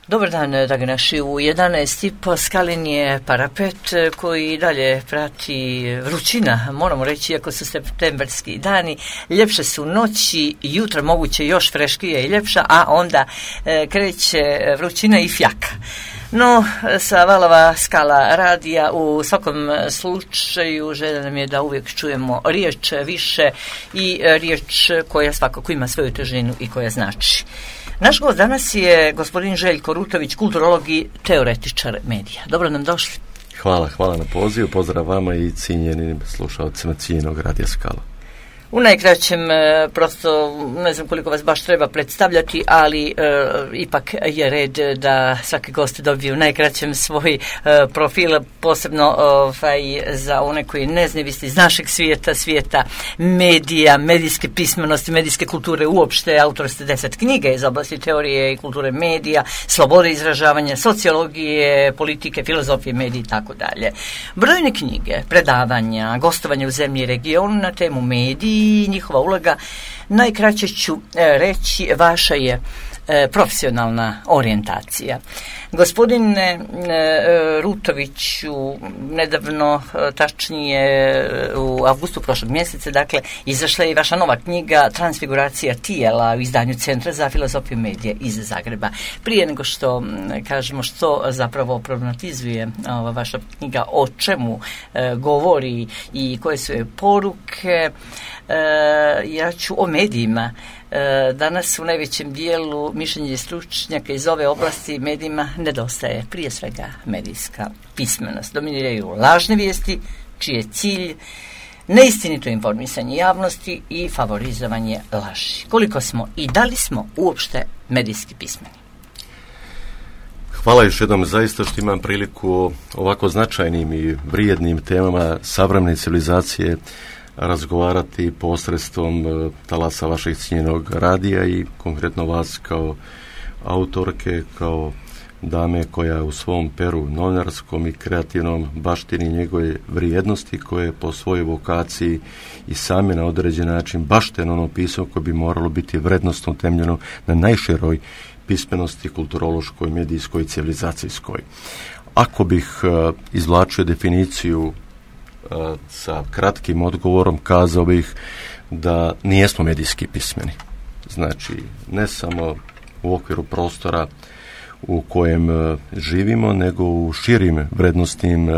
Dobar dan, dragi naši. U 11:30 skalen je parapet koji dalje prati vrućina, moramo reći, iako su septemberski dani. Ljepše su noći, jutra moguće još freškije i ljepša, a onda kreće vrućina i fjaka. No, sa valova Skala radija u svakom slučaju želja nam je da uvijek čujemo riječ više i riječ koja svakako ima svoju težinu i koja znači. Naš gost danas je gospodin Željko Rutović, kulturolog i teoretičar medija. Dobro nam došli. Hvala na pozivu, pozdrav vama i cijenjenim slušalcima cijenjenog radija Skala. U najkraćem, prosto ne znam koliko vas baš treba predstavljati, ali ipak je red da svaki gost dobije u najkraćem svoj profil, posebno za one koji ne znaju, vi ste iz našeg svijeta medija, medijske pismenosti, medijske kulture uopšte, autor ste 10 knjiga iz oblasti teorije i kulture medija, slobode izražavanja, sociologije, politike, filozofije, medije i tako dalje. Brojne knjige, predavanja, gostovanje u zemlji i regionu na temu mediji i njihova uloga. Najkraće ću reći, vaša je profesionalna orijentacija. Gospodine Rutoviću, nedavno, tačnije u avgustu prošlog mjeseca, dakle, izašla je i vaša nova knjiga Transfiguracija tijela u izdanju Centra za filozofiju medija iz Zagreba. Prije nego što kažemo što zapravo problematizuje ova vaša knjiga, o čemu govori i koje su joj poruke, ja ću o medijima. Danas u najvećem dijelu mišljenje stručnjaka iz ove oblasti medijima nedostaje prije svega medijska pismenost. Dominiraju lažne vijesti, čiji je cilj neistinito informisanje javnosti i favorizovanje laži. Koliko smo i da li smo uopšte medijski pismeni? Hvala još jednom zaista što imam priliku o ovako značajnim i vrijednim temama savremene civilizacije razgovarati posredstvom talasa vašeg cijenjenog radija i konkretno vas kao autorke, kao dame koja u svom peru novinarskom i kreativnom baštini njegove vrijednosti koje po svojoj vokaciji i sami na određen način bašteno ono pisao koje bi moralo biti vrednostno temeljeno na najširoj pismenosti kulturološkoj, medijskoj i civilizacijskoj. Ako bih izvlačio definiciju sa kratkim odgovorom, kazao bih da nijesmo medijski pismeni. Znači, ne samo u okviru prostora u kojem živimo, nego u širim vrednostnim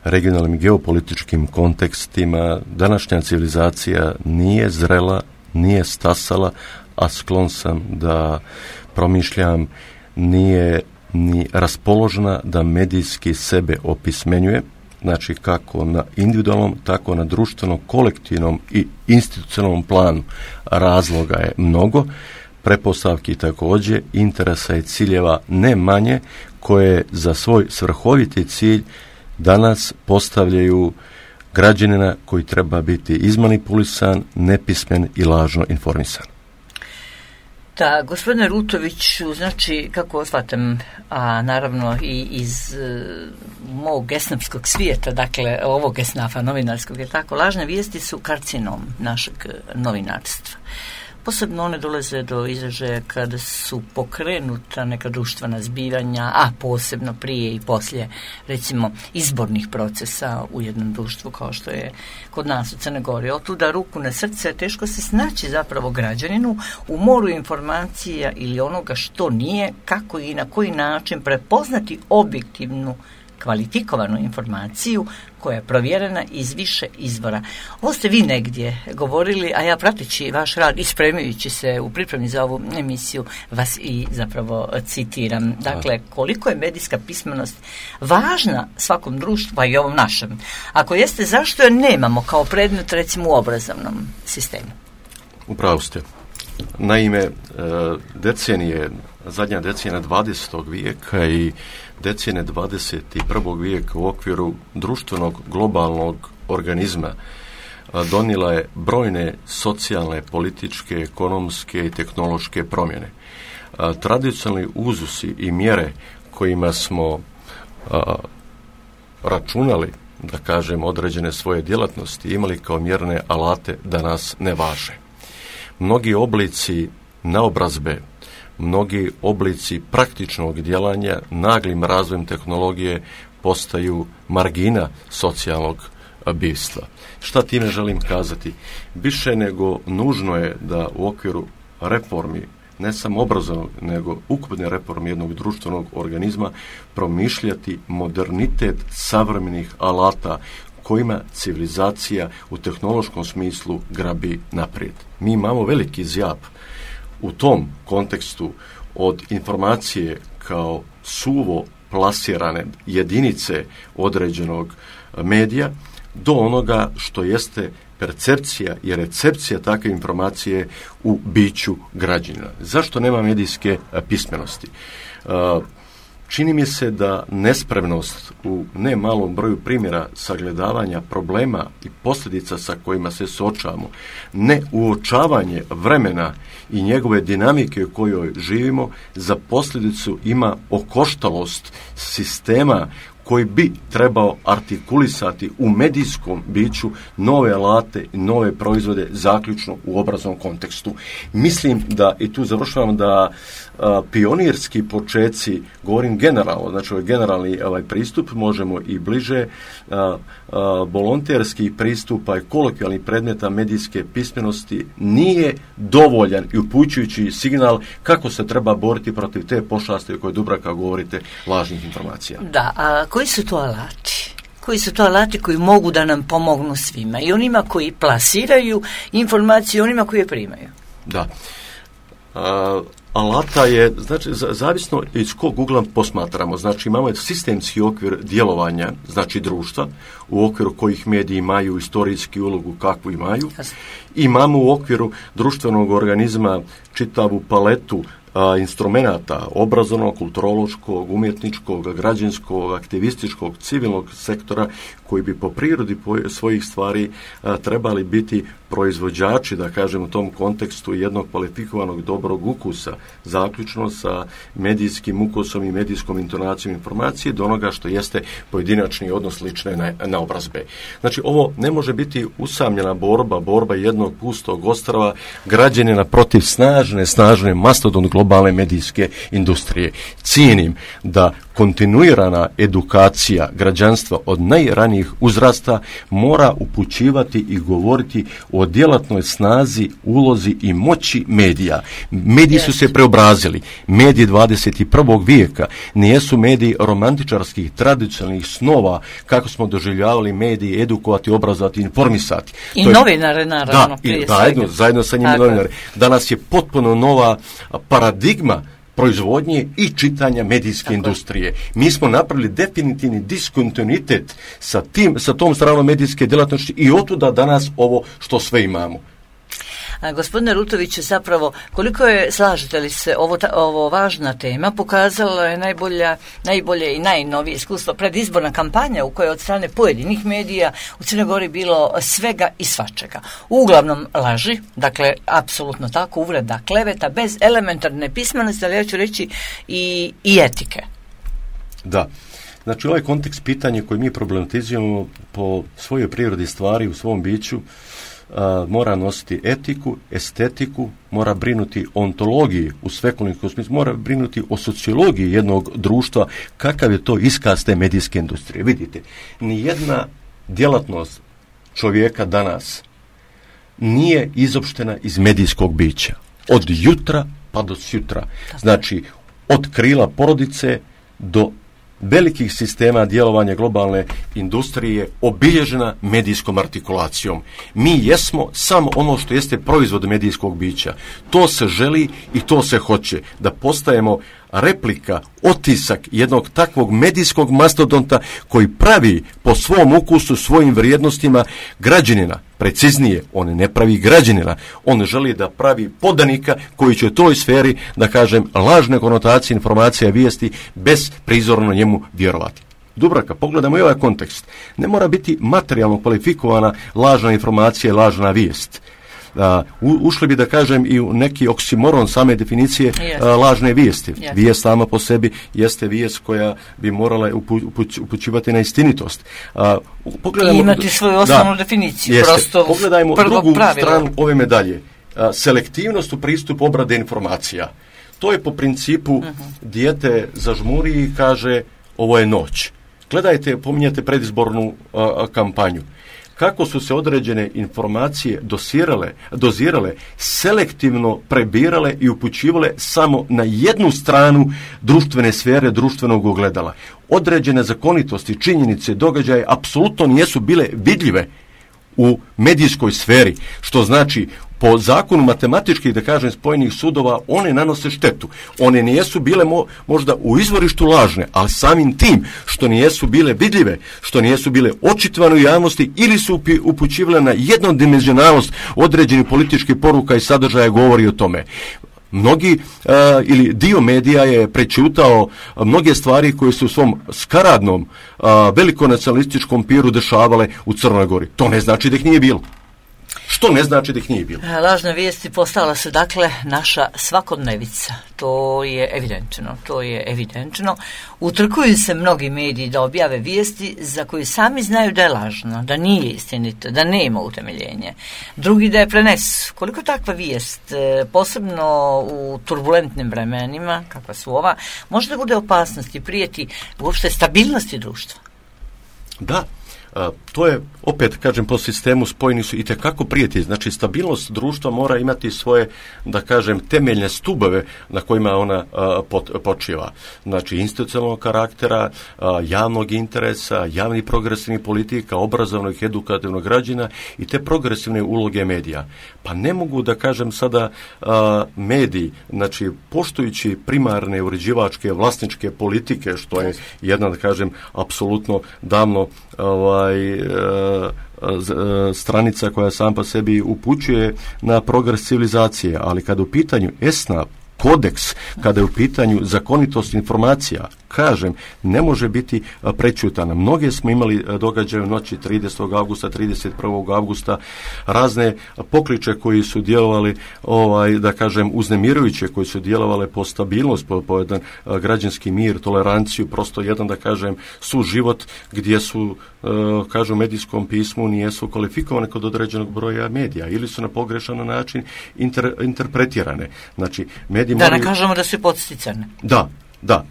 regionalnim i geopolitičkim kontekstima. Današnja civilizacija nije zrela, nije stasala, a sklon sam da promišljam, nije ni raspoložena da medijski sebe opismenjuje. Znači kako na individualnom, tako na društvenom, kolektivnom i institucionalnom planu. Razloga je mnogo, pretpostavki također, interesa i ciljeva ne manje, koje za svoj svrhoviti cilj danas postavljaju građanina koji treba biti izmanipulisan, nepismen i lažno informisan. Da, gospodine Rutoviću, znači, kako shvatam, a naravno i iz mog esnafskog svijeta, dakle, ovog esnafa novinarskog, je tako, lažne vijesti su karcinom našeg novinarstva. Posebno one dolaze do izražaja kada su pokrenuta neka društvena zbivanja, a posebno prije i poslije, recimo, izbornih procesa u jednom društvu kao što je kod nas u Crnoj Gori. Otuda ruku na srce, teško se snaći zapravo građaninu u moru informacija ili onoga što nije, kako i na koji način prepoznati objektivnu kvalifikovanu informaciju koja je provjerena iz više izvora. Ovo ste vi negdje govorili, a ja prateći vaš rad i spremajući se u pripremi za ovu emisiju vas i zapravo citiram. Dakle, koliko je medijska pismenost važna svakom društvu, pa i ovom našem. Ako jeste, zašto je nemamo kao predmet recimo u obrazovnom sistemu? Upravo ste. Naime, zadnja decenija 20. vijeka i decenije 21. vijeka u okviru društvenog globalnog organizma donijela je brojne socijalne, političke, ekonomske i tehnološke promjene. Tradicionalni uzusi i mjere kojima smo računali, da kažem, određene svoje djelatnosti, imali kao mjerne alate, danas ne važe. Mnogi oblici naobrazbe, mnogi oblici praktičnog djelanja naglim razvojem tehnologije postaju margina socijalnog bistva. Šta time želim kazati? Više nego nužno je da u okviru reformi, ne samo obrazovnog, nego ukupne reforme jednog društvenog organizma, promišljati modernitet savremenih alata kojima civilizacija u tehnološkom smislu grabi naprijed. Mi imamo veliki zjap u tom kontekstu od informacije kao suvo plasirane jedinice određenog medija do onoga što jeste percepcija i recepcija takve informacije u biću građanina. Zašto nema medijske pismenosti? Čini mi se da nespremnost u ne malom broju primjera sagledavanja problema i posljedica sa kojima se suočavamo, ne uočavanje vremena i njegove dinamike u kojoj živimo, za posljedicu ima okoštalost sistema koji bi trebao artikulisati u medijskom biću nove alate i nove proizvode, zaključno u obrazovnom kontekstu. Mislim da, i tu završavam, da pionirski počeci, govorim generalno, znači ovaj generalni pristup, možemo i bliže, volonterski pristup i kolokvijalni predmeta medijske pismenosti nije dovoljan i upućujući signal kako se treba boriti protiv te pošasti o kojoj Dubravka govorite, lažnih informacija. Da, a koji su to alati? Koji su to alati koji mogu da nam pomognu svima? I onima koji plasiraju informacije, onima koji je primaju. Da. Alata je, znači, zavisno iz kog ugla posmatramo. Znači, imamo sistemski okvir djelovanja, znači društva, u okviru kojih mediji imaju istorijski ulogu kakvu imaju. Imamo u okviru društvenog organizma čitavu paletu instrumenata obrazovnog, kulturološkog, umjetničkog, građanskog, aktivističkog, civilnog sektora koji bi po prirodi svojih stvari trebali biti proizvođači, da kažem u tom kontekstu, jednog kvalifikovanog dobrog ukusa, zaključno sa medijskim ukusom i medijskom intonacijom informacije do onoga što jeste pojedinačni odnos lične naobrazbe. Znači, ovo ne može biti usamljena borba jednog pustog ostrva građanina protiv snažne mastodon globalne medijske industrije. Cijenim da kontinuirana edukacija građanstva od najranijih uzrasta mora upućivati i govoriti o djelatnoj snazi, ulozi i moći medija. Mediji su se preobrazili. Mediji 21. vijeka nijesu mediji romantičarskih, tradicionalnih snova, kako smo doživljavali mediji edukovati, obrazovati, informisati. I novinare, naravno. Da, zajedno sa njima novinare. Danas je potpuno nova paradigma proizvodnje i čitanja medijske industrije. Mi smo napravili definitivni diskontinuitet sa tom stranom medijske djelatnosti i otuda danas ovo što sve imamo. Gospodine Rutović, zapravo, koliko je, slažete li se, ovo važna tema, pokazala je najbolje i najnovije iskustvo predizborna kampanja u kojoj od strane pojedinih medija u Crnoj Gori bilo svega i svačega. Uglavnom laži, dakle, apsolutno tako, uvreda, kleveta, bez elementarne pismenosti, ali ja ću reći i etike. Da. Znači, ovaj kontekst pitanja koji mi problematizujemo po svojoj prirodi stvari u svom biću mora nositi etiku, estetiku, mora brinuti o ontologiji u svekolikom smislu, mora brinuti o sociologiji jednog društva, kakav je to iskaz te medijske industrije. Vidite, nijedna djelatnost čovjeka danas nije izopštena iz medijskog bića. Od jutra pa do sutra. Znači, od krila porodice do velikih sistema djelovanja globalne industrije obilježena medijskom artikulacijom. Mi jesmo samo ono što jeste proizvod medijskog bića. To se želi i to se hoće. Da postajemo replika, otisak jednog takvog medijskog mastodonta koji pravi po svom ukusu, svojim vrijednostima građanina. Preciznije, on ne pravi građanina. On želi da pravi podanika koji će u toj sferi, da kažem, lažne konotacije, informacija, vijesti, bez prizorno njemu vjerovati. Dubravka, pogledamo i ovaj kontekst. Ne mora biti materijalno kvalifikovana lažna informacija i lažna vijest. Ušli bi, da kažem, i u neki oksimoron same definicije lažne vijesti. Vijest sama po sebi jeste vijest koja bi morala upućivati na istinitost. I imati svoju osnovnu definiciju. Pogledajmo drugu stranu ove medalje. Selektivnost u pristupu obrade informacija. To je po principu dijete zažmuri i kaže ovo je noć. Gledajte, pominjate predizbornu kampanju. Kako su se određene informacije dozirale, selektivno prebirale i upućivale samo na jednu stranu društvene sfere, društvenog ogledala. Određene zakonitosti, činjenice, događaje apsolutno nisu bile vidljive u medijskoj sferi, što znači po zakonu matematičkih, da kažem, spojenih sudova, one nanose štetu. One nijesu bile možda u izvorištu lažne, ali samim tim što nijesu bile vidljive, što nijesu bile očitovane u javnosti ili su upućivale na jednodimenzionalnost određenih političkih poruka i sadržaja govori o tome. Mnogi ili dio medija je prećutao mnoge stvari koje su u svom skaradnom velikonacionalističkom piru dešavale u Crnoj Gori. To ne znači da ih nije bilo. Što ne znači da ih nije bilo. Lažne vijesti postala su dakle naša svakodnevica. To je evidentno. Utrkuju se mnogi mediji da objave vijesti za koje sami znaju da je lažno, da nije istinito, da nema utemeljenje. Drugi da je prenesu. Koliko takva vijest, posebno u turbulentnim vremenima, kakva su ova, može da bude opasnost i prijeti uopšte stabilnosti društva? Da. To je, opet kažem, po sistemu spojeni su itekako prijeti. Znači, stabilnost društva mora imati svoje, da kažem, temeljne stubove na kojima ona počiva. Znači, institucionalnog karaktera, javnog interesa, javnih progresivnih politika, obrazovnog i edukativnog građana i te progresivne uloge medija. Pa ne mogu da kažem sada mediji, znači, poštujući primarne uređivačke vlasničke politike, što je jedna, da kažem, apsolutno davno stranica koja sam po sebi upućuje na progres civilizacije, ali kada u pitanju ESNA, kodeks, kada je u pitanju zakonitost informacija, kažem, ne može biti prećutana. Mnoge smo imali događaje u noći 30. augusta, 31. augusta, razne pokliče koji su djelovali, da kažem, uznemirujuće, koji su djelovale po stabilnost, po jedan građanski mir, toleranciju, prosto jedan, da kažem, suživot gdje su, kažu u medijskom pismu, nijesu kvalifikovane kod određenog broja medija ili su na pogrešan način interpretirane. Znači, mediji da ne kažemo da su podsticane. Da,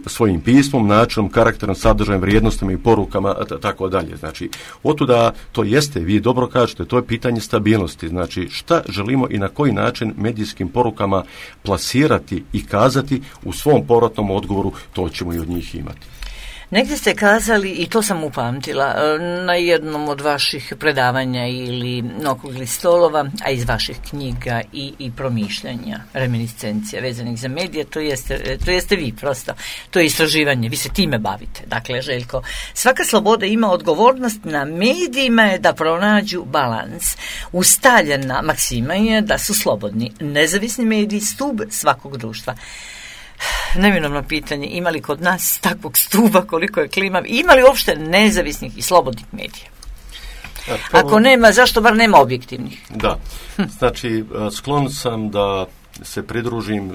svojim pismom, načinom, karakterom, sadržajem, vrijednostima i porukama, tako dalje. Znači, otuda to jeste, vi dobro kažete, to je pitanje stabilnosti. Znači, šta želimo i na koji način medijskim porukama plasirati i kazati u svom povratnom odgovoru, to ćemo i od njih imati. Negdje ste kazali, i to sam upamtila, na jednom od vaših predavanja ili okruglih stolova, a iz vaših knjiga i promišljanja, reminiscencija vezanih za medije, to jeste vi prosto, to je istraživanje, vi se time bavite. Dakle, Željko, svaka sloboda ima odgovornost, na medijima je da pronađu balans. Ustaljena maksima je da su slobodni, nezavisni mediji stub svakog društva. Neminovno pitanje, ima li kod nas takvog stuba, koliko je klimav, ima li uopšte nezavisnih i slobodnih medija? Ako nema, zašto bar nema objektivnih? Da, znači sklon sam da se pridružim,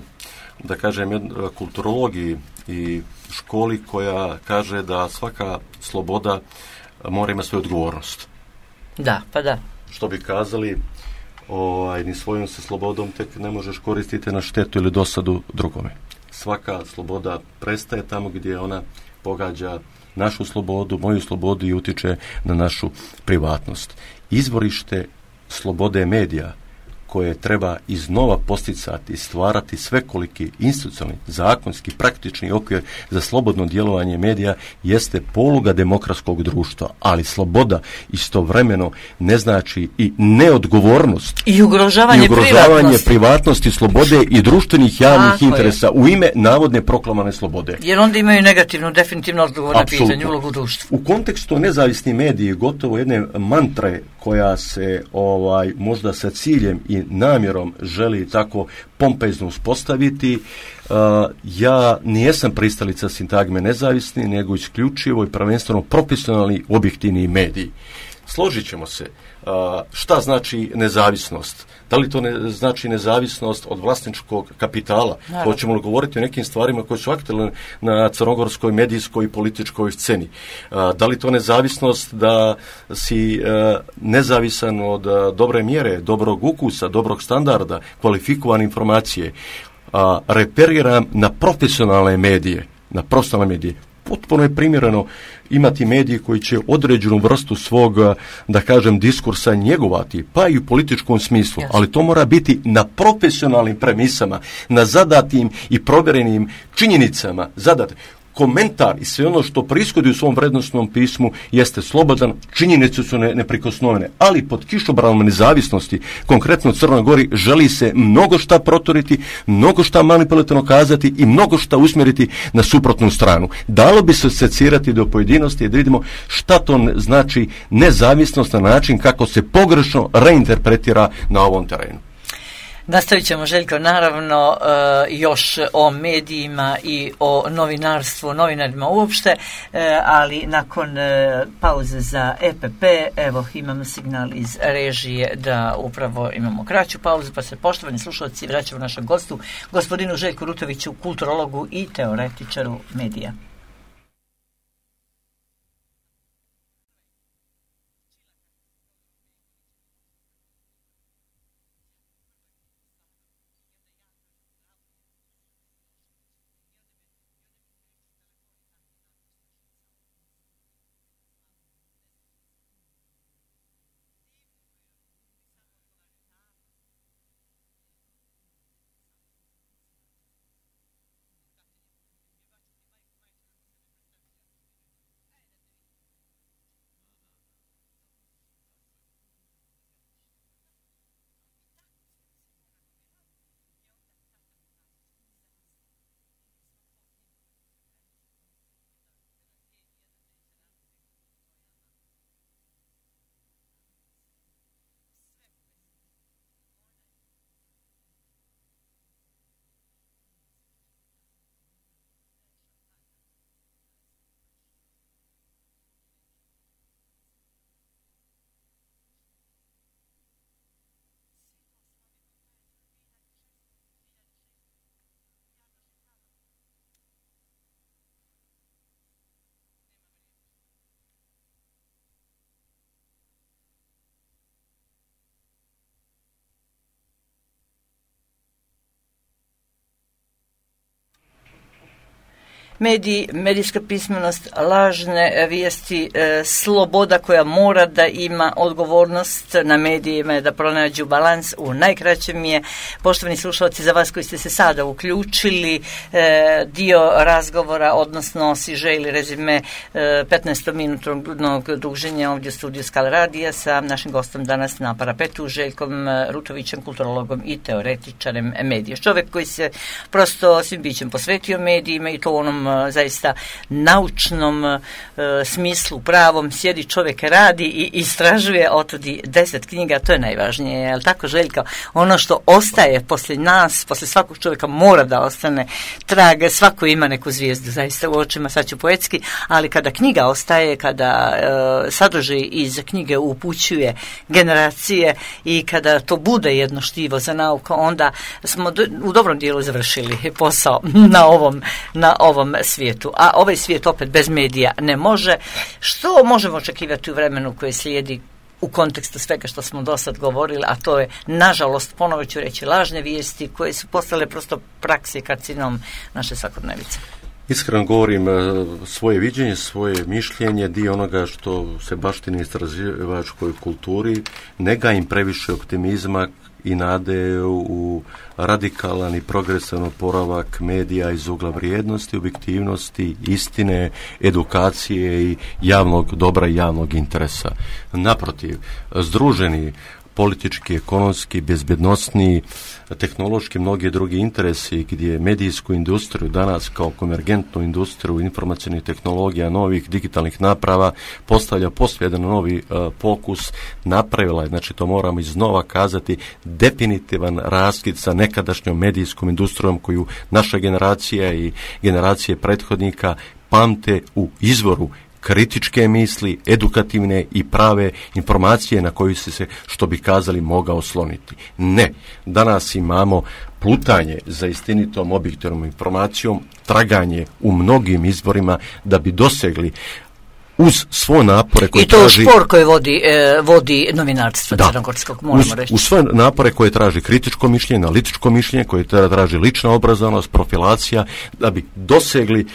da kažem, kulturologiji i školi koja kaže da svaka sloboda mora imati svoju odgovornost. Da, pa da. Što bi kazali, ni svojom se slobodom tek ne možeš koristiti na štetu ili dosadu drugome. Svaka sloboda prestaje tamo gdje ona pogađa našu slobodu, moju slobodu i utiče na našu privatnost. Izvorište slobode medija koje treba iznova posticati i stvarati svekoliki institucionalni, zakonski, praktični okvir za slobodno djelovanje medija jeste poluga demokratskog društva, ali sloboda istovremeno ne znači i neodgovornost i ugrožavanje privatnosti, slobode i društvenih javnih interesa u ime navodne proklamovane slobode. Jer onda imaju negativnu, definitivno odgovor na pitanje ulogu društva. U kontekstu nezavisni mediji gotovo jedne mantre koja se možda sa ciljem i namjerom želi tako pompezno uspostaviti. Ja nijesam pristalica sintagme nezavisni, nego isključivo i prvenstveno profesionalni objektivni mediji. Složit ćemo se. Šta znači nezavisnost? Da li to znači nezavisnost od vlasničkog kapitala? Hoćemo li govoriti o nekim stvarima koje su aktualne na crnogorskoj medijskoj i političkoj sceni? Da li to nezavisnost da si nezavisan od dobre mjere, dobrog ukusa, dobrog standarda, kvalifikovane informacije? referiram na profesionalne medije, potpuno je primjereno imati medije koji će određenu vrstu svog, da kažem, diskursa njegovati, pa i u političkom smislu, ali to mora biti na profesionalnim premisama, na zadatim i provjerenim činjenicama, komentar i sve ono što prishodi u svom vrednostnom pismu jeste slobodan, činjenice su neprikosnovene, ali pod kišobranom nezavisnosti, konkretno u Crnoj Gori, želi se mnogo šta proturiti, mnogo šta manipulativno kazati i mnogo šta usmjeriti na suprotnu stranu. Dalo bi se secirati do pojedinosti i da vidimo šta to znači nezavisnost na način kako se pogrešno reinterpretira na ovom terenu. Nastavit ćemo, Željko, naravno još o medijima i o novinarstvu, novinarima uopšte, ali nakon pauze za EPP, evo imamo signal iz režije da upravo imamo kraću pauzu, pa se, poštovani slušalci, vraćamo našem gostu, gospodinu Željku Rutoviću, kulturologu i teoretičaru medija. Mediji, medijska pismenost, lažne vijesti, sloboda koja mora da ima odgovornost na medijima, da pronađu balans u najkraćem je, poštovani slušalci, za vas koji ste se sada uključili, dio razgovora, odnosno siže ili rezime 15-minutnog druženja ovdje u studiju Skal Radija sa našim gostom danas na parapetu, Željkom Rutovićem, kulturologom i teoretičarem medija. Čovjek koji se prosto svim bićem posvetio medijima i to u onom zaista naučnom smislu, pravom, sjedi čovjek, radi i istražuje, otudi 10 knjiga, to je najvažnije, je li tako, Željko? Ono što ostaje poslije nas, poslije svakog čovjeka mora da ostane trag, svako ima neku zvijezdu zaista u očima, sad ću poetski, ali kada knjiga ostaje, kada sadržaj iz knjige upućuje generacije i kada to bude jedno štivo za nauku, onda smo u dobrom dijelu završili posao na ovom svijetu. A ovaj svijet opet bez medija ne može. Što možemo očekivati u vremenu koje slijedi u kontekstu svega što smo do sad govorili, a to je, nažalost, ponovo ću reći, lažne vijesti koje su postale prosto praksi karcinom naše svakodnevice? Iskreno govorim, svoje viđenje, svoje mišljenje, dio onoga što se baštini istraživačkoj kulturi, ne gajim previše optimizma i nade u radikalan i progresan oporavak medija iz ugla vrijednosti, objektivnosti, istine, edukacije i javnog dobra i javnog interesa. Naprotiv, združeni politički, ekonomski, bezbednosni, tehnološki, mnogi drugi interesi gdje medijsku industriju danas kao konvergentnu industriju informacionih tehnologija, novih digitalnih naprava postavlja poslije jedan novi fokus, napravila je, znači to moramo iznova kazati, definitivan raskid sa nekadašnjom medijskom industrijom koju naša generacija i generacije prethodnika pamte u izvoru kritičke misli, edukativne i prave informacije na koju se, što bi kazali, mogao osloniti. Ne, danas imamo plutanje za istinitom objektivnom informacijom, traganje u mnogim izvorima da bi dosegli uz svo napore koje i to traži... spor koji vodi novinarstvo crnogorskog, moramo reći. Uz sve napore koje traži kritičko mišljenje, analitičko mišljenje, koje traži lična obrazovanost, profilacija, da bi dosegli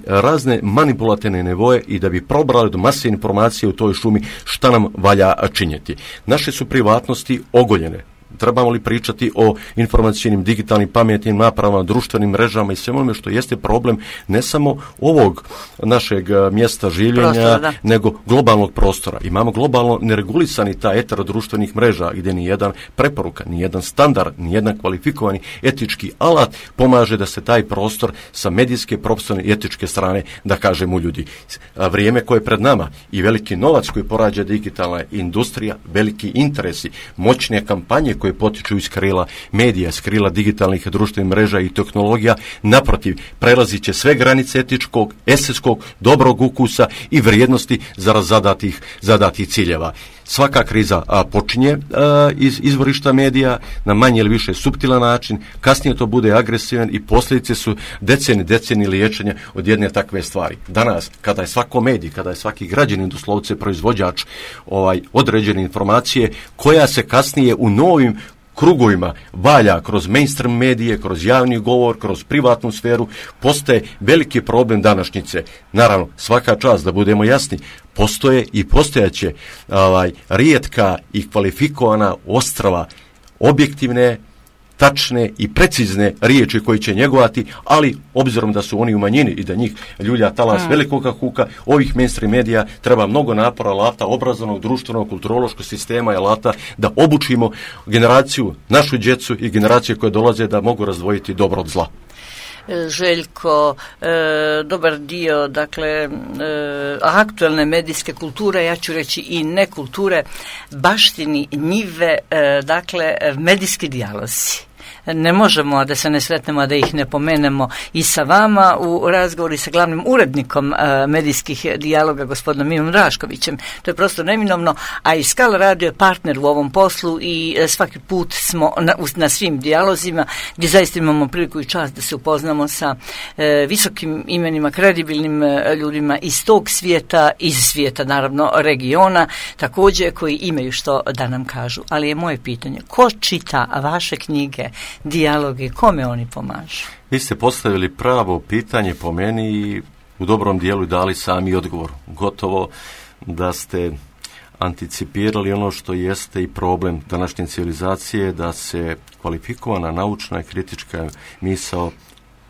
razne manipulativne nivoje i da bi probrali do mase informacije u toj šumi šta nam valja činjeti. Naše su privatnosti ogoljene. Trebamo li pričati o informacijnim, digitalnim, pametnim napravama, društvenim mrežama i svemu onome što jeste problem ne samo ovog našeg mjesta življenja, nego globalnog prostora. Imamo globalno neregulisani taj etar društvenih mreža gdje ni jedan preporuka, ni jedan standard, ni jedan kvalifikovani etički alat pomaže da se taj prostor sa medijske, profesionalne i etičke strane, da kažemo, ljudi. Vrijeme koje je pred nama i veliki novac koji porađa digitalna industrija, veliki interesi, moćne kampanje koje potiču iz krila medija, iz krila digitalnih društvenih mreža i tehnologija, naprotiv, prelazit će sve granice etičkog, estetskog, dobrog ukusa i vrijednosti za zadatih ciljeva. Svaka kriza počinje iz izvorišta medija na manje ili više suptilan način, kasnije to bude agresivan i posljedice su decenije liječenja od jedne takve stvari. Danas, kada je svako medij, kada je svaki građanin doslovce proizvođač određene informacije, koja se kasnije u novim krugovima valja kroz mainstream medije, kroz javni govor, kroz privatnu sferu, postaje veliki problem današnjice. Naravno, svaka čast, da budemo jasni, postoje i postojaće rijetka i kvalifikovana ostrva, objektivne, tačne i precizne riječi koji će njegovati, ali obzirom da su oni u manjini i da njih ljulja talas velikoga huka, ovih mainstream medija treba mnogo napora, alata, obrazovnog, društvenog, kulturološkog sistema i alata da obučimo generaciju, našu djecu i generacije koje dolaze da mogu razdvojiti dobro od zla. Željko, dobar dio, dakle, aktualne medijske kulture, ja ću reći i nekulture, baštini njive, dakle, medijski dijalozi. Ne možemo da se ne sretnemo, a da ih ne pomenemo i sa vama u razgovoru sa glavnim urednikom medijskih dijaloga, gospodinom Mirom Draškovićem. To je prosto neminovno, a i Skala radio je partner u ovom poslu i svaki put smo na svim dijalozima gdje zaista imamo priliku i čast da se upoznamo sa visokim imenima, kredibilnim ljudima iz tog svijeta, iz svijeta naravno regiona, također koji imaju što da nam kažu. Ali je moje pitanje, ko čita vaše knjige, dijalogi, kome oni pomažu? Vi ste postavili pravo pitanje po meni i u dobrom dijelu dali sami odgovor. Gotovo da ste anticipirali ono što jeste i problem današnje civilizacije, da se kvalifikovana naučna i kritička misao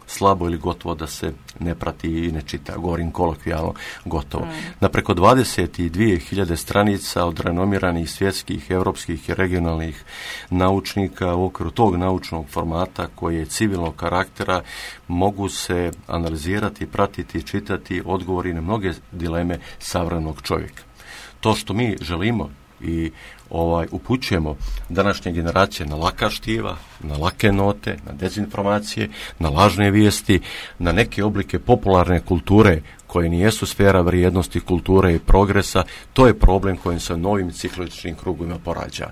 slabo ili gotovo da se ne prati i ne čita, govorim kolokvijalno, gotovo. Na preko 22.000 stranica od renomiranih svjetskih, europskih i regionalnih naučnika u okviru tog naučnog formata koji je civilnog karaktera mogu se analizirati, pratiti, čitati odgovori na mnoge dileme savremenog čovjeka. To što mi želimo i upućujemo današnje generacije na laka štiva, na lake note, na dezinformacije, na lažne vijesti, na neke oblike popularne kulture koje nijesu sfera vrijednosti, kulture i progresa, to je problem kojim se novim cikličnim krugovima porađa.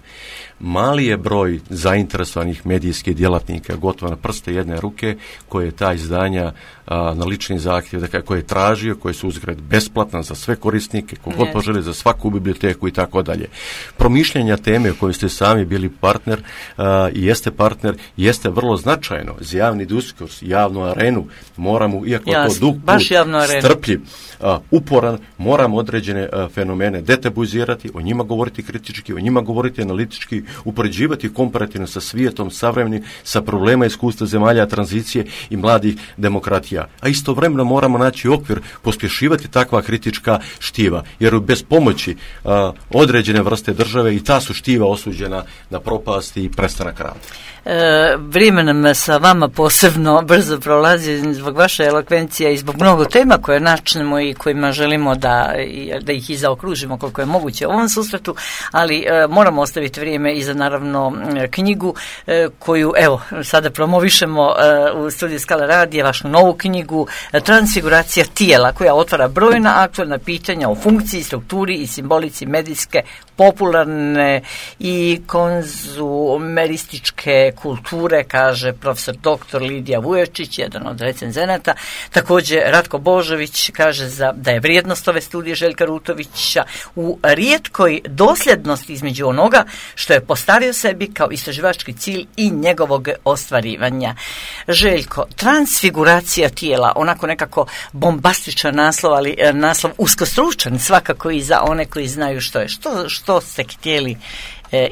Mali je broj zainteresovanih medijskih djelatnika, gotovo na prste jedne ruke, koje je ta izdanja na lični zahtjev, dakle, koje je tražio, koje su uzgred besplatna za sve korisnike, kogod poželi, za svaku biblioteku i tako dalje. Promišljanja teme u kojoj ste sami bili partner i jeste partner, jeste vrlo značajno za javni diskurs, javnu arenu. Moramo, iako to dug put, strpljiv, uporan, moramo određene fenomene detabuizirati, o njima govoriti kritički, o njima govoriti analitički, upoređivati komparativno sa svijetom savremenim, sa problema iskustva zemalja tranzicije i mladih demokratija. A istovremeno moramo naći okvir, pospješivati takva kritička štiva, jer bez pomoći određene vrste države i ta su štiva osuđena na propast i prestanak rada. Vrijeme nam sa vama posebno brzo prolazi zbog vaše elokvencije i zbog mnogo tema koje načnemo i kojima želimo da ih i zaokružimo koliko je moguće u ovom susretu, ali moramo ostaviti vrijeme i za naravno knjigu koju evo sada promovišemo u studiju Skala radija, vašu novu knjigu Transfiguracija tijela, koja otvara brojna aktualna pitanja o funkciji, strukturi i simbolici medijske popularne i konzumerističke kulture, kaže profesor dr. Lidija Vujačić, jedan od recenzenata. Također Ratko Božović kaže da je vrijednost ove studije Željka Rutovića u rijetkoj dosljednosti između onoga što je postavio sebi kao istraživački cilj i njegovog ostvarivanja. Željko, transfiguracija tijela, onako nekako bombastičan naslov, ali naslov uskostručan svakako i za one koji znaju što je. Što ste htjeli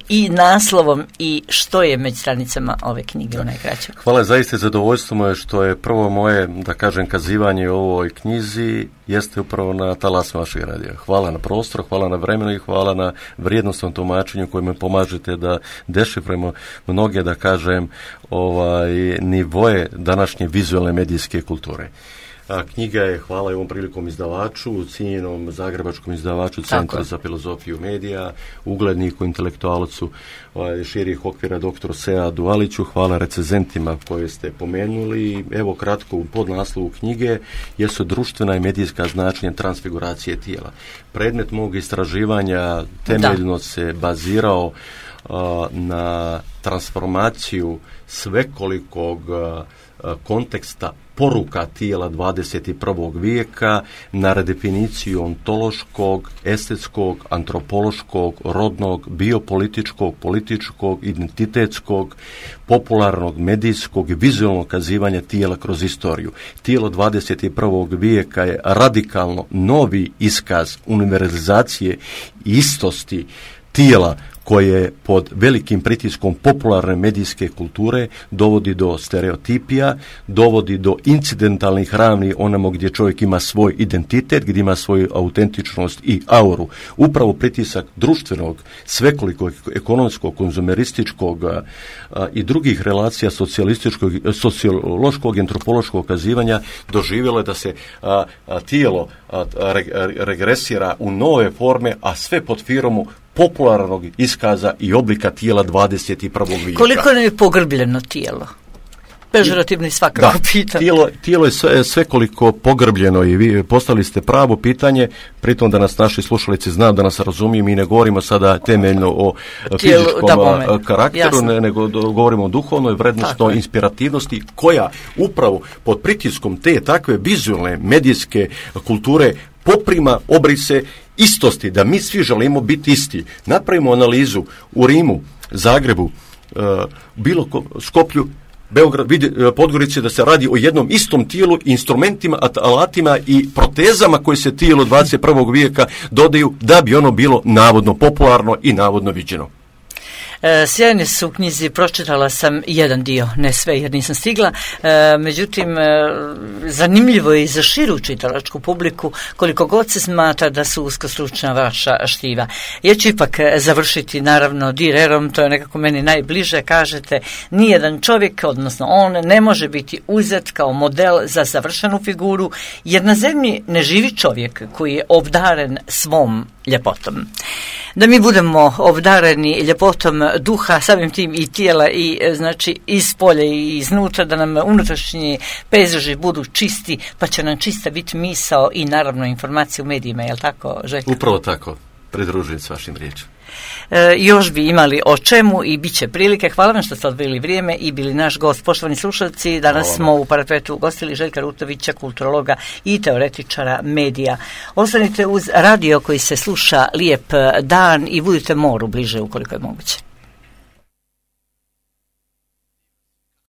i naslovom i što je među stranicama ove knjige u najkraćem? Hvala, zaista zadovoljstvo moje što je prvo moje, da kažem, kazivanje o ovoj knjizi jeste upravo na talasima vašeg radija. Hvala na prostoru, hvala na vremenu i hvala na vrijednostnom tumačenju koje me pomažete da dešifrujemo mnoge, da kažem, nivoje današnje vizualne medijske kulture. Knjiga je, hvala i ovom prilikom izdavaču, cijenjenom zagrebačkom izdavaču Centra za filozofiju medija, ugledniku, intelektualcu širih okvira dr. Seadu Aliću. Hvala recenzentima koje ste pomenuli. Evo kratko u podnaslovu knjige jesu društvena i medijska značenja transfiguracije tijela. Predmet mog istraživanja temeljno se bazirao na transformaciju svekolikog konteksta poruka tijela 21. vijeka, na redefiniciju ontološkog, estetskog, antropološkog, rodnog, biopolitičkog, političkog, identitetskog, popularnog, medijskog i vizualnog kazivanja tijela kroz istoriju. Tijelo 21. vijeka je radikalno novi iskaz univerzalizacije i istosti tijela koje pod velikim pritiskom popularne medijske kulture dovodi do stereotipija, dovodi do incidentalnih ravni onamo gdje čovjek ima svoj identitet, gdje ima svoju autentičnost i auru. Upravo pritisak društvenog, svekolikog, ekonomskog, konzumerističkog i drugih relacija sociološkog i antropološkog kazivanja doživjelo je da se tijelo regresira u nove forme, a sve pod firmu popularnog iskaza i oblika tijela 21. vijeka. Koliko nam je pogrbljeno tijelo? Pežorativno i svakako pitanje. Tijelo je svekoliko pogrbljeno i vi postavili ste pravo pitanje, pritom da nas naši slušalici znaju, da nas razumiju, mi ne govorimo sada temeljno o fizičkom karakteru, nego govorimo o duhovnoj vrednostnoj inspirativnosti koja upravo pod pritiskom te takve vizualne medijske kulture poprima obrise istosti, da mi svi želimo biti isti. Napravimo analizu u Rimu, Zagrebu, Skoplju, Beograd, Podgorici, da se radi o jednom istom tijelu, instrumentima, alatima i protezama koje se tijelo 21. vijeka dodaju da bi ono bilo navodno popularno i navodno viđeno. Sjajne su u knjizi, pročitala sam jedan dio, ne sve jer nisam stigla, međutim zanimljivo je i za širu čitalačku publiku, koliko god se smatra da su uskostručna vaša štiva. Ja ću ipak završiti naravno direrom, to je nekako meni najbliže, kažete, nijedan čovjek, odnosno on, ne može biti uzet kao model za savršenu figuru, jer na zemlji ne živi čovjek koji je obdaren svom ljepotom. Da mi budemo obdareni ljepotom duha, samim tim i tijela, i znači iz polja i iznutra, da nam unutrašnji pejzaži budu čisti, pa će nam čista biti misao i naravno informacije u medijima, je li tako, Željko? Upravo tako, pridružujem s vašim riječima. Još bi imali o čemu i bit će prilike. Hvala vam što ste odvojili vrijeme i bili naš gost. Poštovani slušalci, danas smo u Parapetu ugostili Željka Rutovića, kulturologa i teoretičara medija. Ostanite uz radio koji se sluša lijep dan i budite moru bliže ukoliko je moguće.